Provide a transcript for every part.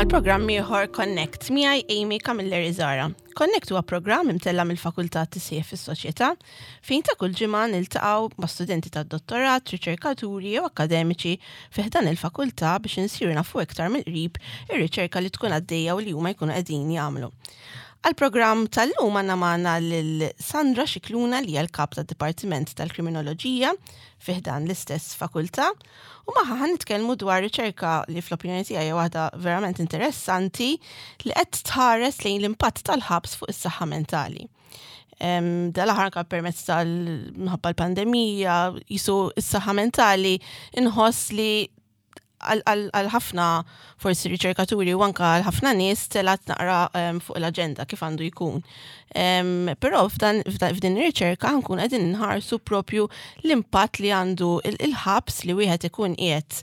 għal programm ieħor Connect miegħi Amy Camilleri Zara. Connect huwa programm imtella mill-Fakultà Tisħiħ fis-Soċjetà fejn ta' kull ġimgħa niltaqgħu ma' studenti tad-dottorat, riċerkaturi jew akkademiċi fi ħdan il-fakultà biex insiru nafu iktar mill-qrib ir-riċerka li tkun għaddejja u li huma jkunu qegħdin jagħmlu. Għall-programm tal-lum għandna magħna lil Sandra Scicluna li hija l-kap tad-Dipartiment tal-Kriminoloġija fi ħdan l-istess fakultà u magħha ħa nitkellmu dwar riċerka li fl-opinjoni tiegħi hija waħda verament interessanti li qed tħares lejn l-impatt tal-ħabs fuq is-saħħa mentali. Dal-aħħar anke permezz tal-minħabba l-pandemija, jisu s-saħħa mentali inħoss li għal ħafna forsi riċerkaturi u anka għal ħafna nies telat naqra fuq l-aġenda kif għandu jkun. Però f'din ir-riċerka nkun qegħdin nħarsu propju l-impatt li għandu il-ħabs li wieħed ikun qiegħed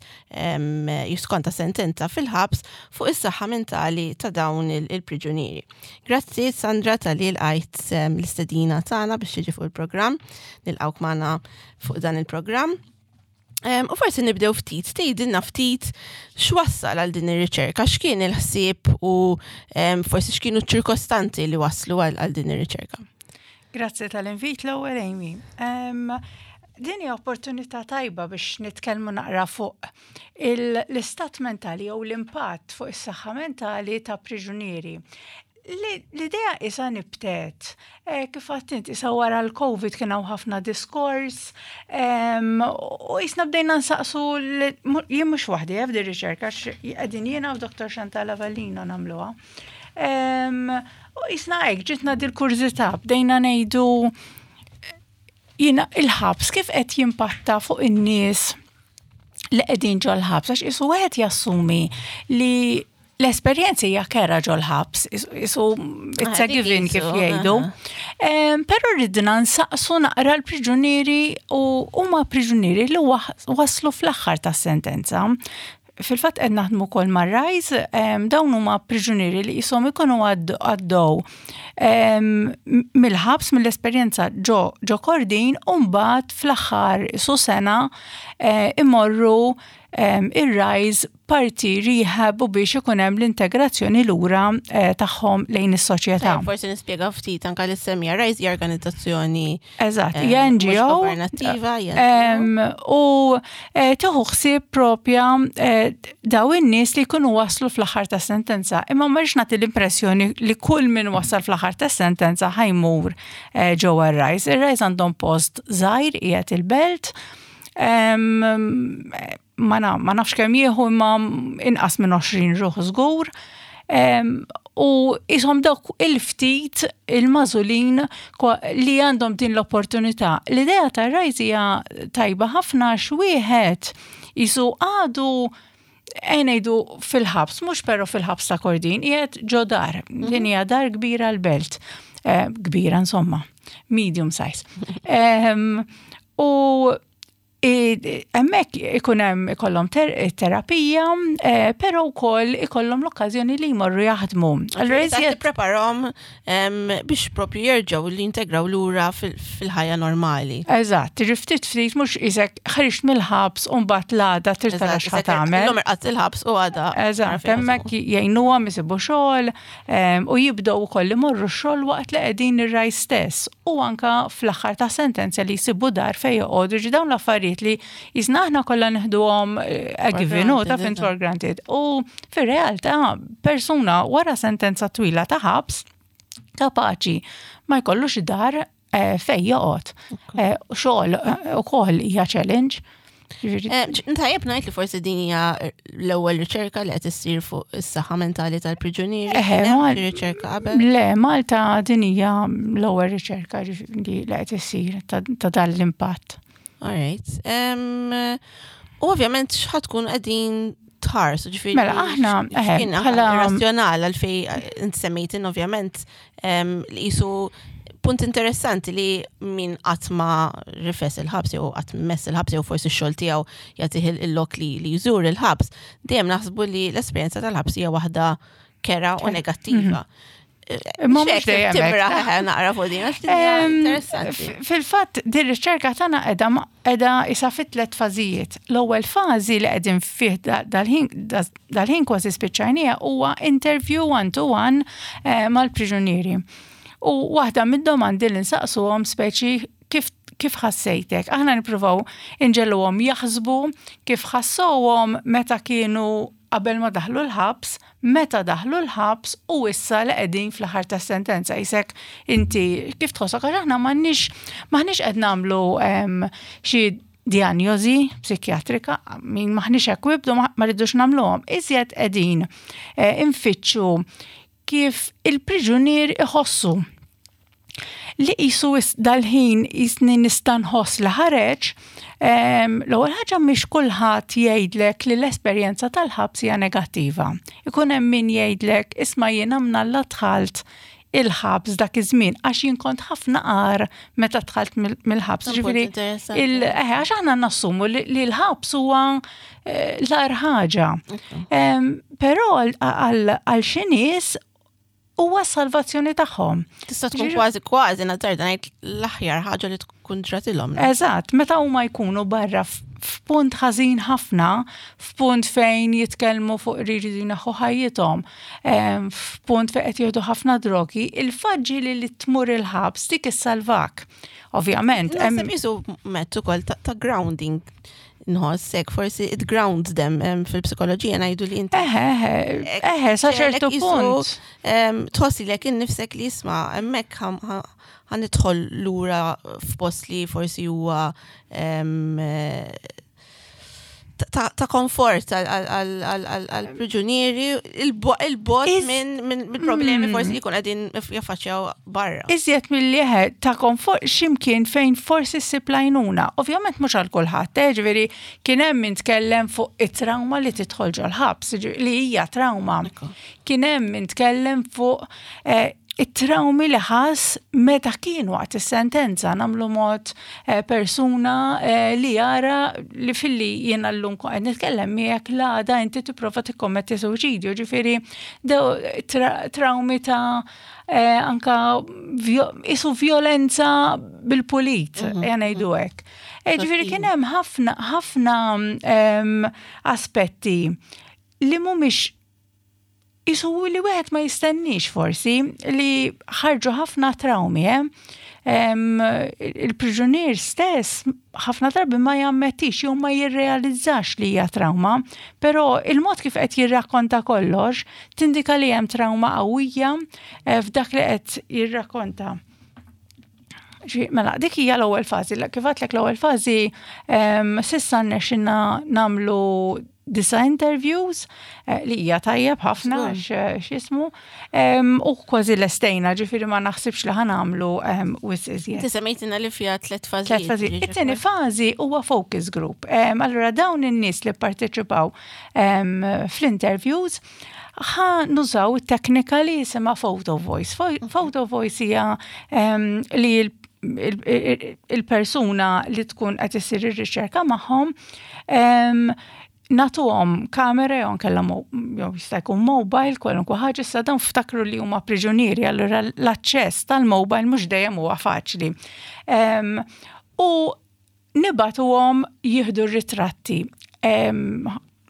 jiskonta sentenza fil-ħabs fuq is-saħħa mentali ta' dawn il-priġunieri. Grazzi Sandra tal-li lqajt l-istedina tagħna biex tiġi fuq il-programm, nilqgħuk magħna fuq dan il-programm. U forsi nibdew ftit, tgħidilna ftit x'wassal għal din ir-riċerka, x'kien il-ħsieb u forsi x'kienu ċ-ċirkostanzi li waslu għal din ir-riċerka. Grazzi tal-invit l-ewwel Amy. Din hija opportunità tajba biex nitkellmu naqra fuq l-istat mentali jew l-impatt fuq is-saħħa mentali ta' priġunieri. L-idea isa nibtet, eh, kif għadt int, isa wara l-Covid kien hawn ħafna diskors, u jisna bdejna nsaqsu, jien mhux waħdi eh, f'di riċerka, qegħdin jiena u Dr. Chantal Avellino nagħmluha. U jisna hekk ġitna dil-kurżità, bdejna ngħidu jiena il-ħabs kif qed jimpatta fuq in-nies li qegħdin ġol-ħabs, għax isu wieħed jassumi li l-esperjenza hija kera ġol-ħabs, isu it's a given kif jgħidu. Però ridna nsaqsu naqra l-priġunieri u huma priġunieri li waslu fl-aħħar tas-sentenza. Fil-fatt qed naħdmu wkoll mar-Rise, dawn huma priġunieri li qishom ikunu għaddew mill-ħabs mill-esperjenza ġo ġo Kordin u mbagħad fl-aħħar su sena eh, imorru ir-Rise parti rehab u biex ikun hemm l-integrazzjoni lura eh, tagħhom lejn is-soċjetà. Forsi nispjega ftit anke li semmija Rise hija organizzazzjoni. Eżatt, hija NGO. Governativa, U eh, tieħu ħsieb propja eh, daw in-nies li jkunu waslu fl-aħħar ta' sentenza. Imma ma rridx nagħti l-impressjoni li kull min wasal fl-aħħar ta' sentenza ħajmur ġewwa r-Rise. Ir-Rise għandhom post żgħir qiegħed il-belt ma nafx kemm jieħu imma inqas minn 20 ruħ żgur. U ishom dawk il-ftit il-mażulin li għandhom din l-opportunità. L-idea ta' Rise hija tajba ħafna x'wieħed jisu għadu ngħidu fil-ħabs, mhux però fil-ħabs ta' Kordin, qiegħed ġo dar. Mhm. Din hija dar kbira l-belt. Eh, kbira insomma, medium size. U hemmhekk ikun hemm ikollhom terapija, eh, però wkoll ikollhom l-okkażjoni li jmorru jaħdmu. Allura iżjed tippreparahom biex propju jerġgħu li jintegraw lura fil-ħajja normali. Eżatt, ftit ftit mhux isek ħriġt mill-ħabs u mbagħad l-għada trid tara x'ħa tagħmel. Illum irqadt il-ħabs u għada. Eżatt, hemmhekk jgħinuhom isibu xogħol, u jibdew ukoll imorru x-xogħol waqt li qegħdin ir-raj stess u anka fl-aħħar ta' sentenza li jsibu dar fejn joqogħdu ġi dawn l-affarijiet li jisna aħna kollha neħduhom eh, a given u ta' for granted. U fir-realtà persuna wara sentenza twila ta' ħabs kapaċi ma jkollux dar eh, fej joqgħod. Eh, xogħol eh, ukoll hija challenge. Tajjeb ngħid li forsi din hija l-ewwel riċerka li qed issir fuq is-saħħa mentali tal-priġunieri. Riċerka qabel. Le, Malta din hija l-ewwel riċerka li qed issir ta' dan l-impatt. All right. U ovvjament x'ħad tkun qegħdin tħarsu ġifieri. Mela aħna bħala razzjonal għalfej int semmejtin ovvjament li jisu punt interessanti li min qatt ma rifes il-ħabs jew qatt mess il-ħabs jew forsi x-xogħol tiegħu jagħtih il-lok li li jżur il-ħabs, dejjem naħsbu li l-esperjenza tal-ħabs hija waħda kera u negattiva. Mhm. Imma mhux dejjem hekk. Naqra fuq din għax interessanti. Fil-fatt din riċerka tagħna qiegħda qiegħda isa fi tliet fażijiet. L-ewwel fażi li qegħdin fih dal-ħin kważi spiċċajnija huwa interview one to one eh, mal-priġunieri. U waħda mid-domandi li nsaqsuhom speċi kif kif ħassejtek? Aħna nippruvaw inġegħluhom jaħsbu kif ħassowhom meta kienu qabel ma daħlu l-ħabs, meta daħlu l-ħabs u issa li qegħdin fl-aħħar tas-sentenza. Isek inti kif tħossok għax aħna m'għandniex m'aħniex qed nagħmlu xi dijanjosi psikjatrika, min m'aħniex equipped u ma rridux nagħmluhom. Iżjed qegħdin eh, infittxu kif il-priġunier iħossu li qisu dal-ħin jisni nista' nħoss li ħareġ, l-ewwel ħaġa mhix kulħadd jgħidlek li l-esperjenza tal-ħabs hija negattiva. Ikun hemm min jgħidlek isma' jiena mnalla dħalt il-ħabs dak iż-żmien għax jien kont ħafna qar meta dħalt mill-ħabs. Ġifieri eh, għax aħna nassumu li l-ħabs huwa eh, l-agħar ħaġa. Però għal xi nies huwa s-salvazzjoni tagħhom. Tista' tkun kważi kważi nazzarda ngħid l-aħjar ħaġa li tkun ġratilhom. Eżatt, meta huma jkunu barra f'punt ħażin ħafna, f'punt fejn jitkellmu fuq rridu jneħħu ħajjithom, f'punt fejn qed jieħdu ħafna drogi, il-faġġi li li tmur il-ħabs dik issalvak. Ovvjament. Hemm isu mezz ukoll ta' grounding nħoss hekk forsi it grounds them fil-psikoloġija ngħidu li inti. Eħe, eħe, eħe, sa ċertu punt. Tħossi lek innifsek li jisma' hemmhekk ħa nidħol lura f'post li forsi huwa ta' komfort għal-priġunieri il-bot minn problemi forsi li jkun qegħdin jaffaċċjaw barra. Iżjed milli eħe ta' komfort x'imkien fejn forsi ssib l-għajnuna. Ovvjament mhux għal kulħadd, eh, ġifieri kien hemm min tkellem fuq it-trauma li tidħol ġol-ħabs, li hija trauma. Kien hemm min tkellem fuq eh, it-trawmi li ħass meta kien waqt is-sentenza nagħmlu mod eh, persuna eh, li jara li filli jiena llum qed nitkellem miegħek l-għada inti tipprova tikkommetti suwiċidju, ġifieri trawmi ta' eh, anka isu violenza bil-pulit, mhm. ngħidu hekk. Ġifieri kien hemm ħafna ħafna ehm, aspetti li mhumiex Isu li wieħed ma jistenniex forsi li ħarġu ħafna trawmi, eh? Il-priġunier stess ħafna drabi ma jammettix jew ma jirrealizzax li hija trawma, però il-mod kif qed jirrakkonta kollox tindika li hemm trawma qawwija eh, f'dak li qed jirrakkonta. Mela, dik hija l-ewwel fażi. Kif għedtlek l-ewwel fażi s'issa rnexxinna nagħmlu disa interviews eh, li hija tajjeb ħafna eh, x'ismu u kważi lestejna ġifieri ma naħsibx li ħanamlu wis iżjed. Inti semmejtina li fiha tliet fażijiet. Tliet fażijiet. It-tieni fażi huwa focus group. Allura dawn in-nies li pparteċipaw fl-interviews ħa nużaw it-teknika li jisimha photo voice. Photo voice hija li il-persuna li tkun qed isir ir-riċerka magħhom nagħtuhom kamera jew nkella jew jista' jkun mobile kwalunkwe ħaġa issa dawn ftakru li huma priġunieri allura l-aċċess tal-mobile mhux dejjem huwa faċli. U nibagħtuhom jieħdu r-ritratti.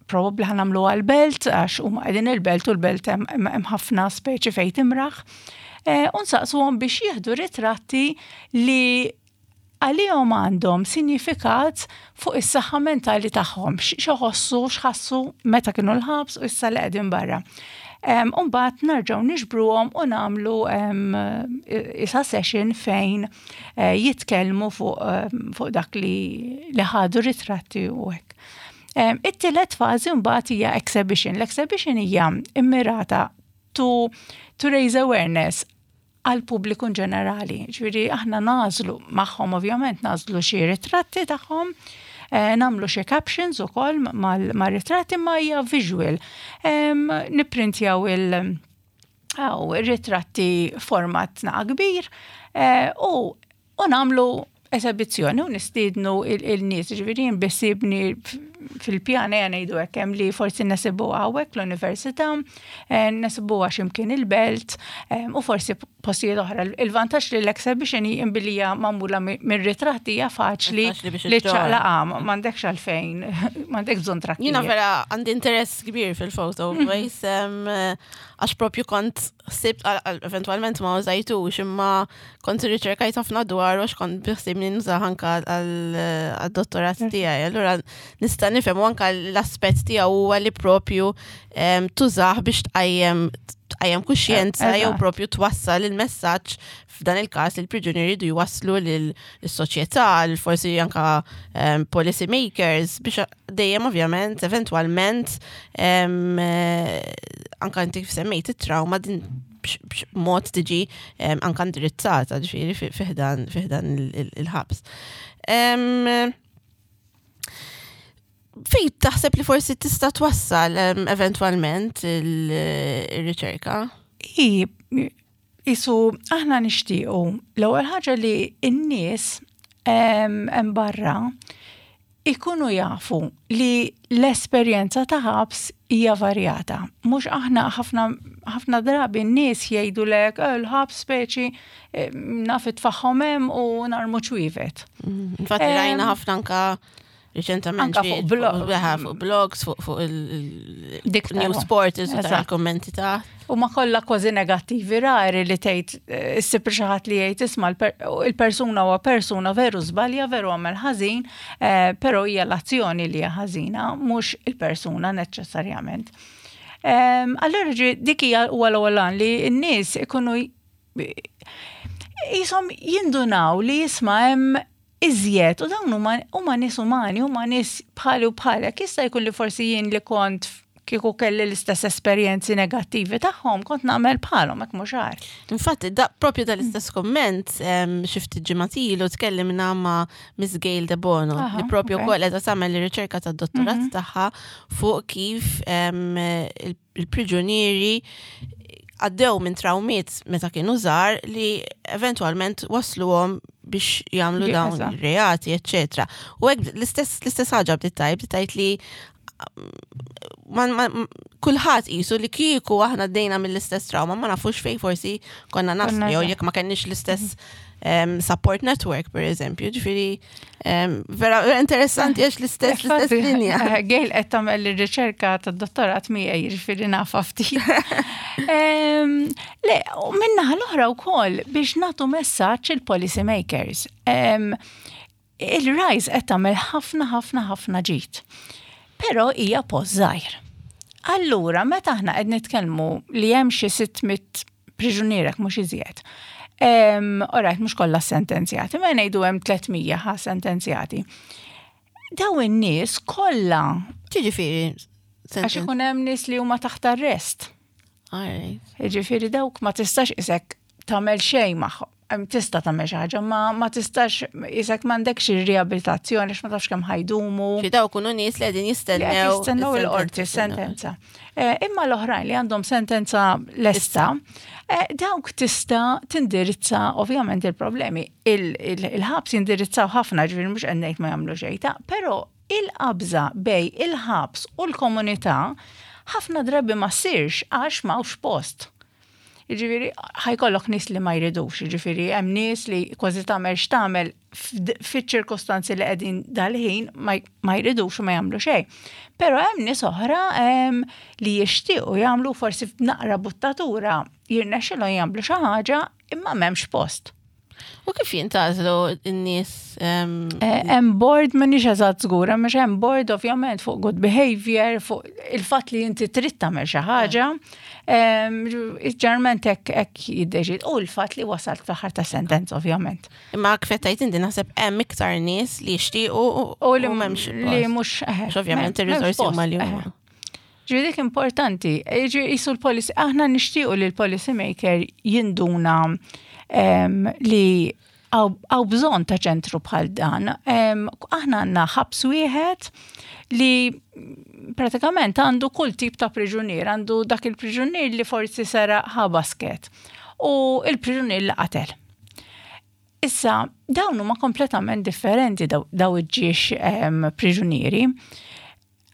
Probabbli ħa nagħmlu għall-belt għax huma qegħdin il-belt u l-belt hemm ħafna speċi fejn timraħ. Eh, u nsaqsuhom biex jieħdu ritratti li għalihom għandhom sinjifikat fuq is-saħħa mentali tagħhom, x'iħossu, x'ħassu meta kienu l-ħabs u issa li qegħdin barra. Umbagħad nerġgħu niġbruhom u nagħmlu isa session fejn eh, jitkellmu fuq dak li ħadu ritratti u hekk. It-tielet fażi mbagħad hija exhibition. L-exhibition hija immirata to, to raise awareness għal pubbliku ġenerali. Ġifieri aħna nagħżlu magħhom ovvjament nagħżlu xi ritratti tagħhom, eh, nagħmlu xi captions ukoll mal-ritratti ma hija visual. Nipprintjaw il- ritratti format naqa kbir eh, u u nagħmlu esebizzjoni u nistiednu il-nies, ġifieri jien biħsiebni fil-pjan ejja ngħidu hekk hemm li forsi nesibuha hawnhekk l-università, eh, nesibuha x'imkien il-belt eh, u forsi postijiet oħra. Il-vantaġġ li l-exhibition hi billi hija magħmula minn ritratti hija faċli li ċaqlaqa m'għandekx għalfejn, m'għandek bżonn trakki. Jiena vera għandi interess kbir fil-photo voice għax propju kont ħsibt eventwalment ma użajtux imma kont irriċerkajt ħafna dwar għax kont biħsibni nużah anka għad-dottorat tiegħi. Allura nista' nifhem u anka l-aspett tiegħu huwa li propju tużah biex tqajjem tqajjem kuxjenza jew propju twassal il-messaġġ f'dan il-każ il-priġunieri jridu jwasslu lill-soċjetà, forsi anka policy makers biex dejjem ovvjament eventwalment eh, anka inti kif semmejt it-trauma din b'mod tiġi anka indirizzata ġifieri fiħdan fiħdan il-ħabs. Fej taħseb li forsi tista' twassal eventwalment il-riċerka? I, isu aħna nixtiequ l-ewwel ħaġa li n-nies hemm barra ikunu jafu li l-esperjenza ta' ħabs hija varjata. Mhux aħna ħafna ħafna drabi n-nies jgħidulek eh, l-ħabs speċi eh, naf itfaħħom hemm u narmu ċwievet. Mm, infatti rajna ħafna anka Riċentament Anka fuq blog. Fuq blogs, fuq il-news portals u tara kommenti ta' U ma kollha kważi negattivi rari li tgħid eh, issib xi ħadd li jgħid isma' il-persuna huwa persuna veru żbalja, veru għamel ħażin, eh, però hija l-azzjoni li hija ħażina, mhux il-persuna neċessarjament. Ehm, allura dik hija huwa l-ewwel li n-nies ikunu jisom jindunaw li jisma' hemm iżjed u dawn huma huma nies umani, huma nies bħali u bħalek. Jista' jkun li forsi jien li kont kieku kelli l-istess esperjenzi negattivi tagħhom kont nagħmel bħalhom hekk mhux għar. Infatti, da, propju dal-istess komment xi ftit ġimgħat ilu tkellimna ma' Miss Gail De Bono li propju wkoll qiegħda tagħmel ir-riċerka tad-dottorat tagħha fuq kif il-priġunieri għaddew minn trawmiet meta kienu żgħar li eventwalment wasluhom biex jagħmlu dawn reati, eċċetera. U hekk l-istess l-istess ħaġa bdiet tajb, bdiet tgħid li kulħadd qisu li kieku aħna għaddejna mill-istess trauma ma nafux fejn forsi konna naslu jew jekk ma kenniex l-istess support network per eżempju, ġifieri Vera, vera interessanti għax l-istess l-istess linja. Eh, Gail qed tagħmel ir-riċerka tad-dottorat miegħi jiġifieri nafa ftit. Le, u minnaħa l-oħra wkoll biex nagħtu messaġġ il-policy makers. Il-RISE qed tagħmel ħafna ħafna ħafna ġid. Però hija post żgħir. Allura, meta aħna qed nitkellmu li hemm xi 600 priġunier hekk mhux iżjed. Alright, mhux kollha sentenzjati, ma ngħidu hemm 300 ħa sentenzjati. Daw in-nies kollha. Ġifieri. Għax ikun hemm nies li huma taħt arrest. Ġifieri dawk ma tistax isek tagħmel xejn magħhom. Tista' tagħmel xi ħaġa, ma ma tistax isek m'għandekx ir-riabilitazzjoni għax ma tafx kemm ħajdumu. Xi dawk kunu nies li qegħdin jistennew. Jistennew il-qorti sentenza. Eh, imma l-oħrajn li għandhom sentenza lesta, eh, dawk tista' tindirizza ovvjament il-problemi. Il-ħabs jindirizzaw ħafna ġifieri mhux qed ngħid ma jagħmlu xejn ta' però il-qabża bej il-ħabs u l-komunità ħafna drabi ma ssirx għax m'hawnx post. Jiġifieri ħajkollok nies li ma jridux, jiġifieri hemm nies li kważi tagħmel x'tagħmel fiċ-ċirkostanzi li qegħdin dal-ħin ma jridux u ma jagħmlu xejn. Però hemm nies oħra li jixtiequ jagħmlu forsi f'naqra buttatura jirnexxilhom jagħmlu xi ħaġa imma m'hemmx post. U kif jintgħażlu n-nies? Eh, hemm board m'iniex eżatt żgura, mhux hemm board ovvjament fuq good behavior, fuq il-fatt li inti trid tagħmel xi ħaġa. Ġarment hekk hekk jiddeċid. U l-fatt li wasalt fl-aħħar ta' sentenza ovvjament. Imma kif qed tgħid inti naħseb hemm iktar nies li jixtiequ u li m'hemmx li mhux eh, ovvjament ir-riżorsi huma li huma. Ġifieri dik importanti, ġifieri jisu l-policy, aħna nixtiequ li l-policy maker jinduna li għaw bżon ta' ċentru bħal dan. Aħna għandna ħabs wieħed li pratikament għandu kull tip ta' priġunier, għandu dak il-priġunier li forsi sera ħa basket u il-priġunier li qatel. Issa, dawn huma kompletament differenti daw iġġiex priġunieri.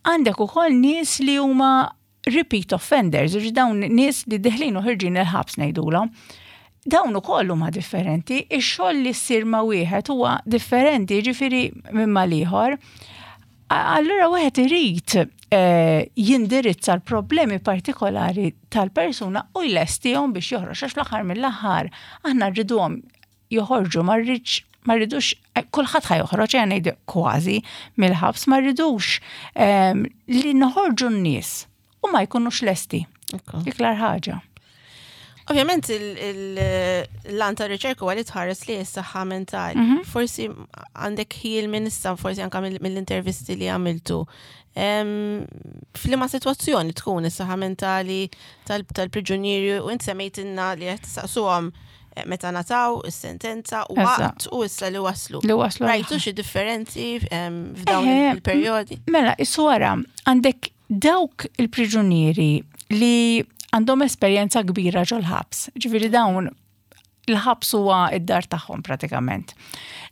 Għandek ukoll nies li huma repeat offenders, ġifieri dawn nies li deħlin u ħirġin il-ħabs ngħidulhom. Dawn ukoll huma differenti, ix-xogħol li ssir ma' wieħed huwa differenti, ġifieri minn mal-ieħor. Allura wieħed irid eh, jindirizza l-problemi partikolari tal-persuna u jlestihom biex joħroġ għax fl-aħħar mill-aħħar aħna rriduhom joħorġu ma rridx ma rridux eh, kulħadd ħa joħroġ eh, ngħid kważi mill-ħabs ma rridux ehm, li noħorġu n-nies u ma jkunux lesti. Iklar ħaġa. Ovvjament l-lan ta' riċerka huwa li tħares li s-saħħa mentali. Mhm. Forsi għandek ħil minn issa, forsi anka mill-intervisti li għamiltu. F'liema sitwazzjoni tkun is-saħħa mentali tal-priġunieri u int semmejtilna li qed tistaqsuhom eh, meta nataw is-sentenza u waqt u issa li waslu. Li waslu. Rajtu xi differenzi f'dawn il-perjodi? Mela, is-wara għandek Dawk il-priġunieri li għandhom esperjenza kbira ġol-ħabs, ġifieri dawn il-ħabs huwa id-dar tagħhom pratikament.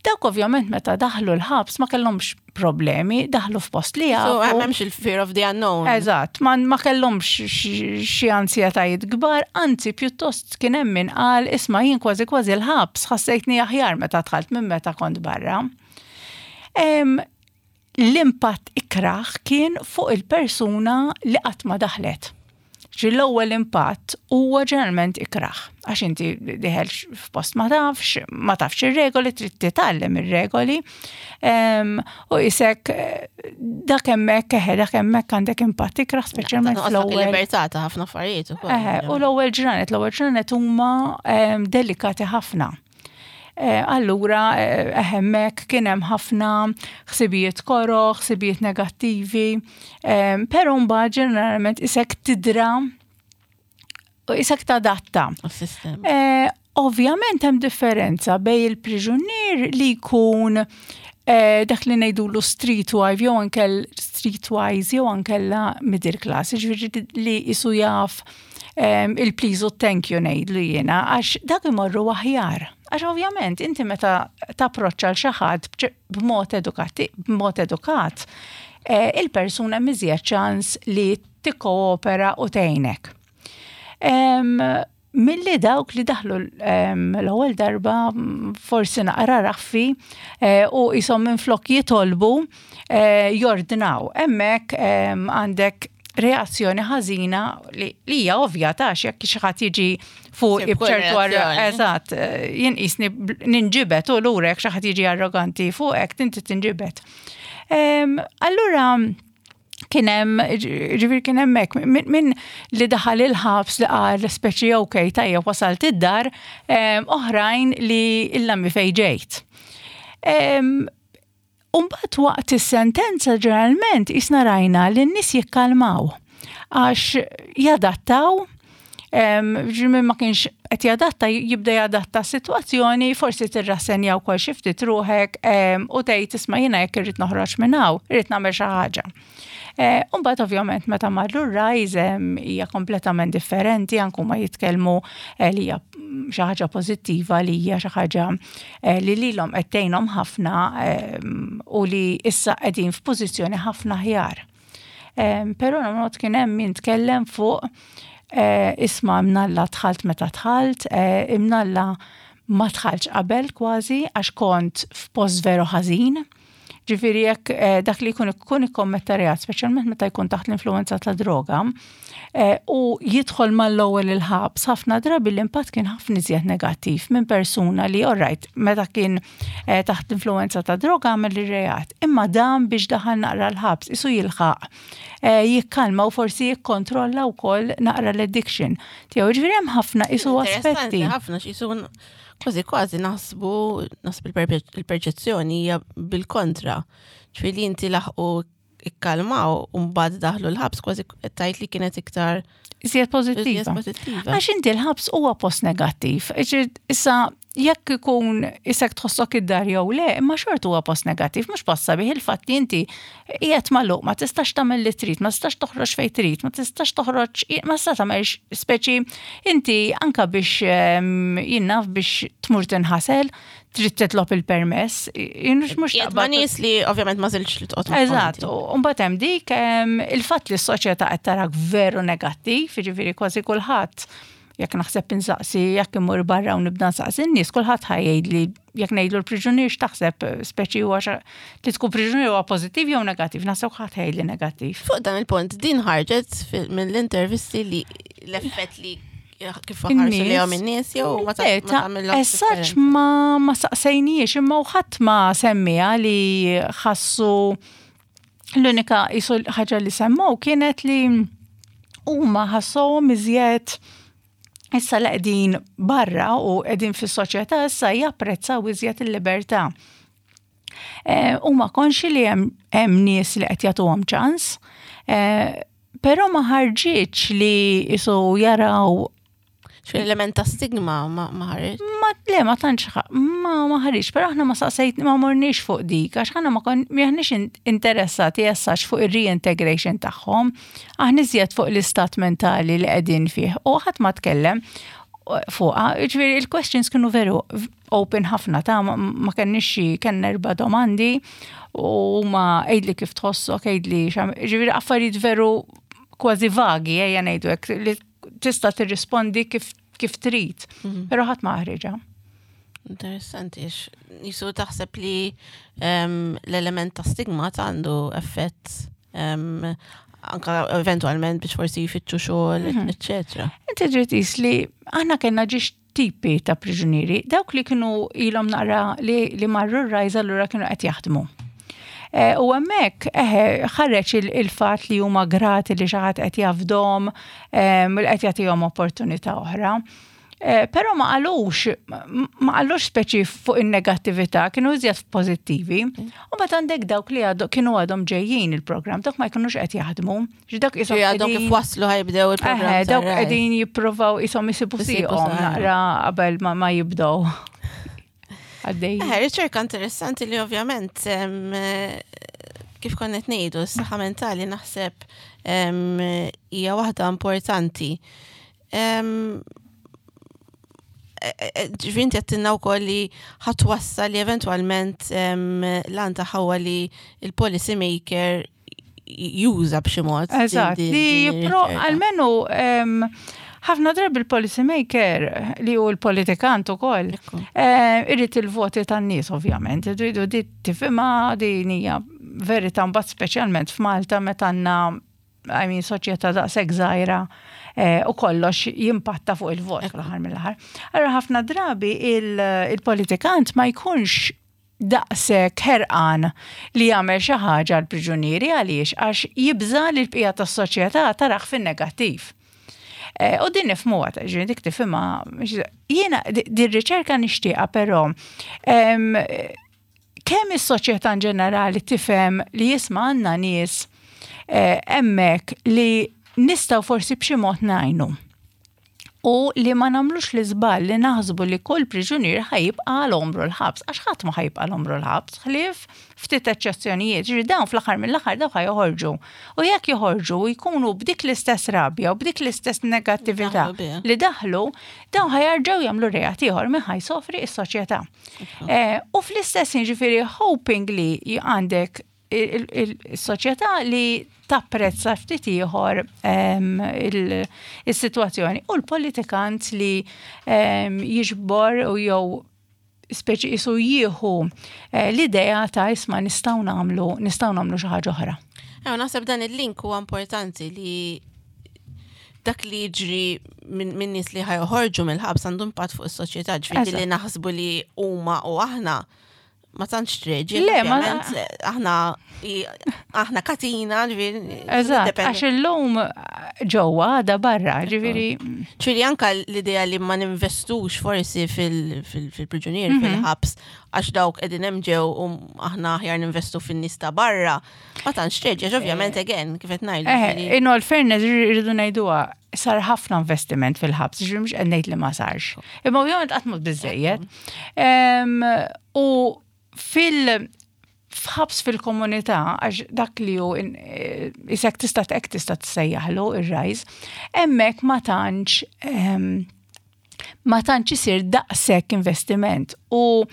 Dawk ovvjament meta daħlu l-ħabs ma kellhomx problemi, daħlu f'post li jafu. So hemmx il-fear of the unknown. Eżatt, ma, ma kellhomx xi ansjetajiet kbar, anzi pjuttost kien hemm min qal isma' jien kważi kważi l-ħabs ħassejtni aħjar meta dħalt minn meta kont barra. L-impatt ikrah kien fuq il-persuna li qatt ma daħlet. Ġi l-ewwel impatt huwa ġeneralment ikrah. Għax inti diħel f'post ma tafx, ma tafx ir-regoli, trid titgħallem ir-regoli. U isek dak hemmhekk eħe dak hemmhekk għandek impatt ikrah speċjalment fl-ewwel. Libertà ta' ħafna affarijiet ukoll. U l-ewwel ġranet, l-ewwel ġranet huma delikati ħafna. Eh, allura eh, hemmhekk kien hemm ħafna ħsibijiet koro, ħsibijiet negattivi, eh, però mbagħad ġeneralment isek tidra u isek tadatta. Ovvjament hemm differenza bej il-priġunier li jkun dak li ngħidulu streetwise jew anke streetwise jew ankella middle class, ġifieri li jisu jaf il-please u thank you ngħidlu jiena għax dak imorru aħjar. Għax ovvjament inti meta tapproċċa l xi ħadd b'mod edukati, b'mod edukat, eh, il-persuna miżjed ċans li tikkoopera u tgħinek. Milli dawk li daħlu l-ewwel darba forsi naqra raffi eh, u jisom minn flok jitolbu eh, jordnaw. Hemmhekk għandek reazzjoni ħażina li hija ovvja ta' jekk xi ħadd jiġi fuq b'ċertu eżatt, eh, jien qisni ninġibet u lura jekk xi ħadd jiġi arroganti fuqek tinti tinġibet. Allura kien hemm ġifieri kien hemmhekk min li daħal il-ħabs li qal speċi ok tajjeb wasalt id-dar, oħrajn li illa mi fejn ġejt. Umbagħad waqt is-sentenza ġeneralment isna rajna li n-nies jikkalmaw għax jadattaw min ma kienx qed jadatta jibda jadatta s-sitwazzjoni, forsi tirrassenja wkoll xi ftit ruħek u tgħid isma' jiena jekk irrid noħroġ minn hawn, irrid nagħmel xi ħaġa. Eh, Umbagħad ovvjament meta marru r-rajz hija kompletament differenti anke ma jitkellmu eh, li hija xi ħaġa pożittiva li hija xi ħaġa eh, li lilhom qed tgħinhom ħafna u li issa qegħdin f'pożizzjoni ħafna aħjar. Però not kien hemm min tkellem fuq eh, isma' imnalla dħalt meta dħalt, eh, imnalla ma dħaltx qabel kważi għax kont f'post veru ħażin. Ġifieri jekk eh, dak li jkun ikun ikkommetta reat, speċjalment meta jkun taħt l-influenza ta' droga, eh, u jidħol mal-ewwel il-ħabs, ħafna drabi l-impatt kien ħafna iżjed negattiv minn persuna li alright meta kien eh, taħt l-influenza ta' droga għamel ir-reat, imma dan biex daħal naqra l-ħabs isu jilħaq jikkalma u forsi jikkontrolla wkoll naqra l-addiction tiegħu. Ġifieri hemm ħafna isu aspetti. Ħafna x'isu kważi kważi naħsbu, naħseb il-perċezzjoni hija bil-kontra. Ġifieri inti laħqu ikkalmaw u mbagħad daħlu l-ħabs kważi tajt li kienet iktar Iżjed pożittiva. Għax inti l-ħabs huwa post negattiv. Issa jekk ikun isek tħossok id-dar jew le, imma xort huwa post negattiv, mhux post sabiħ il-fatt li inti qiegħed magħluq, ma tistax tagħmel li trid, ma tistax toħroġ fejn trid, ma tistax toħroġ, ma tistax tagħmel speċi inti anka biex ehm, jinnaf biex tmur tinħasel, trid titlob il-permess, mhux mhux ma' nies li ovvjament ma żilx li toqgħod. Eżatt, u mbagħad hemm dik ehm, il-fatt li s-soċjetà qed tarak veru negattiv, jiġifieri kważi kulħadd Jekk naħseb insaqsi, jekk immur barra u nibda nsaqsi n-nies, kulħadd ħa jgħidli jekk ngħidlu l-priġunier x'taħseb speċi huwa li tkun priġunier huwa pożittiv jew negattiv, naħseb ħadd ħajli negattiv. Fuq dan il-punt, din ħarġet mill-intervisti li l-effett li kif ħarsu li għom in-nies jew ma tagħmilhom. Essaċ ma ma saqsejniex imma u ħadd ma semmija li ħassu L-unika jisu ħaġa li semmow kienet li huma ħassuhom iżjed issa li qegħdin barra u qegħdin fis-soċjetà issa japprezzaw iżjed il-libertà. Eh, huma konxi li hemm nies li qed jagħtuhom ċans, eh, però ma ħarġitx li jisu jaraw X'element ta' stigma ma ħareġ? Ma le ma tantx ma ma ħareġ, però aħna ma saqsejt ma morniex fuq dik għax aħna ma kon m'aħniex interessati essax fuq ir-reintegration tagħhom, aħna iżjed fuq l-istat mentali li qegħdin fih u ħadd ma tkellem fuqha. Ġifieri il-questions kienu veru open ħafna ta' ma kenniex xi kellna erba' domandi u ma għidli kif tħossok, għidli ġifieri affarijiet veru kważi vagi ejja ngħidu hekk li tista' tirrispondi kif kif trid, mhm. però ħadd ma ħriġa. Interessanti, jisu taħseb li ehm, l-element ta' stigma ta' għandu effett ehm, anka eventualment biex forsi jfittxu xogħol, mhm. eccetera. Inti trid li aħna kellna ġiex tipi ta' priġunieri, dawk li kienu ilhom naqra li, li marru r-rajza allura kienu qed jaħdmu. Eh, u hemmhekk eħe ħareġ il-fatt li huma grati li xi ħadd qed jafdhom, eh, li qed jagħtihom opportunità oħra. Eh, però ma qalux, ma qalux speċi fuq in-negattività, kienu iżjed pożittivi. U mbagħad għandek dawk li għadu kienu għadhom ġejjin il-programm, dawk ma jkunux qed jaħdmu. Dak isom għadhom kif waslu ħajbdew il-programm. Dawk qegħdin jippruvaw isom isibu sieqhom naqra qabel ma jibdew. Għaddej. Riċerka interessanti li ovvjament kif konna qed ngħidu, s-saħħa mentali naħseb hija waħda importanti. Ġifieri inti għedtilna wkoll li ħatwassal li eventwalment l-għan tagħha huwa li il-policy maker juża b'xi mod. Eżatt, li jipro almenu ħafna drabi il-policy maker li hu l-politikant ukoll eh, irrid il-voti tan-nies ovvjament, irridu di tifhimha din hija verità mbagħad speċjalment f'Malta meta għandna I mean, soċjetà daqshekk żgħira eh, u kollox jimpatta fuq il-vot fl-aħħar mill-aħħar. Allora ħafna drabi il-politikant ma jkunx daqshekk ħerqan li jagħmel xi ħaġa għall-priġunieri għaliex għax jibża' li l-bqija tas-soċjetà tarah fin-negattiv. Eh, u din nifhmuha, ġifieri dik tifhimha. Jiena din riċerka nixtieqha però kemm is-soċjetà in ġenerali tifhem li jisma' għandna nies eh, hemmhekk li nistgħu forsi b'xi mod ngħinu u li ma nagħmlux l-iżball li naħsbu li kull priġunier ħa jibqa' għal għomru l-ħabs, għax ħadd ma ħa jibqa' għal għomru l-ħabs, ħlief ftit eċċezzjonijiet, ġifieri dawn fl-aħħar mill-aħħar dawn ħa joħorġu. U jekk joħorġu u jkunu b'dik l-istess rabja u b'dik l-istess negattività li daħlu, dawn ħa jarġgħu jagħmlu reat ieħor min ħa jsofri s-soċjetà. Eh, u fl-istess ġifieri hoping li għandek il-soċjetà li tapprezza ftit ieħor ehm, is-sitwazzjoni u l-politikant li ehm, jiġbor u jew speċi jisu jieħu eh, l-idea ta' isma' nistgħu nagħmlu nistgħu nagħmlu xi ħaġa oħra. Ew naħseb dan il-link huwa importanti li dak li jiġri minn nies li ħajħorġu mill-ħabs għandu impatt fuq is-soċjetà, ġifieri li naħsbu li huma u aħna ma tantx treġi. Le, ma aħna aħna katina, ġifieri. Eżatt, għax illum ġewwa għada barra, ġifieri. Ġifieri anka l-idea li ma ninvestux forsi fil-priġunier, mhm. fil-ħabs, għax dawk qegħdin hemm ġew u aħna aħjar ninvestu fin-nies ta' barra, ma tantx treġi, għax ovvjament eh. again, kif qed ngħidu. Eh, in all fairness irridu ngħiduha. Sar ħafna investiment fil-ħabs, ġifieri mhux qed ngħid li ma sarx. Imma ovvjament qatt mhux biżejjed. U fil- f'ħabs fil-komunità, għax dak li hu eh, isek tista' hekk tista' tissejjaħlu ir-rajż, hemmhekk ma tantx ma tantx isir daqshekk investiment u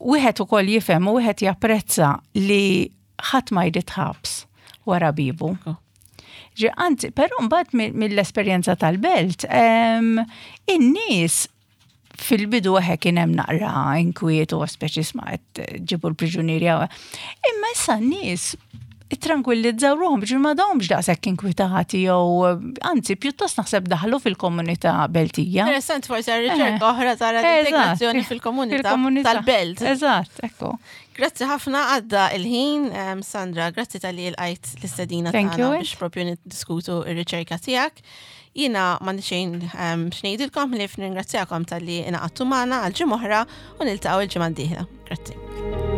wieħed ukoll jifhem u wieħed japprezza li ħadd ma jrid ħabs wara bibu. Ġi, anzi, però mbagħad mill-esperjenza tal-belt, in-nies fil-bidu eħe kien hemm naqra inkwiet u speċi sma qed ġibu l-priġunieri. Imma issa n-nies ittranquillizzaw ruħhom biex ma dawmx daqshekk inkwitati jew anzi pjuttost naħseb daħlu fil-komunità Beltija. Interessant forsi riċerka eh. oħra tara l-integrazzjoni fil-komunità tal-belt. Eżatt, ekku. Grazzi ħafna għadda il-ħin, Sandra, grazzi tal-li l-għajt l-istedina tagħna biex propju niddiskutu ir-riċerka tiegħek. Jiena m'għandi xejn x'ngħidilkom li nirringrazzjakom talli ingħaqadtu magħna għal ġimgħa oħra u niltaqgħu il-ġimgħa d-dieħla. Grazzi.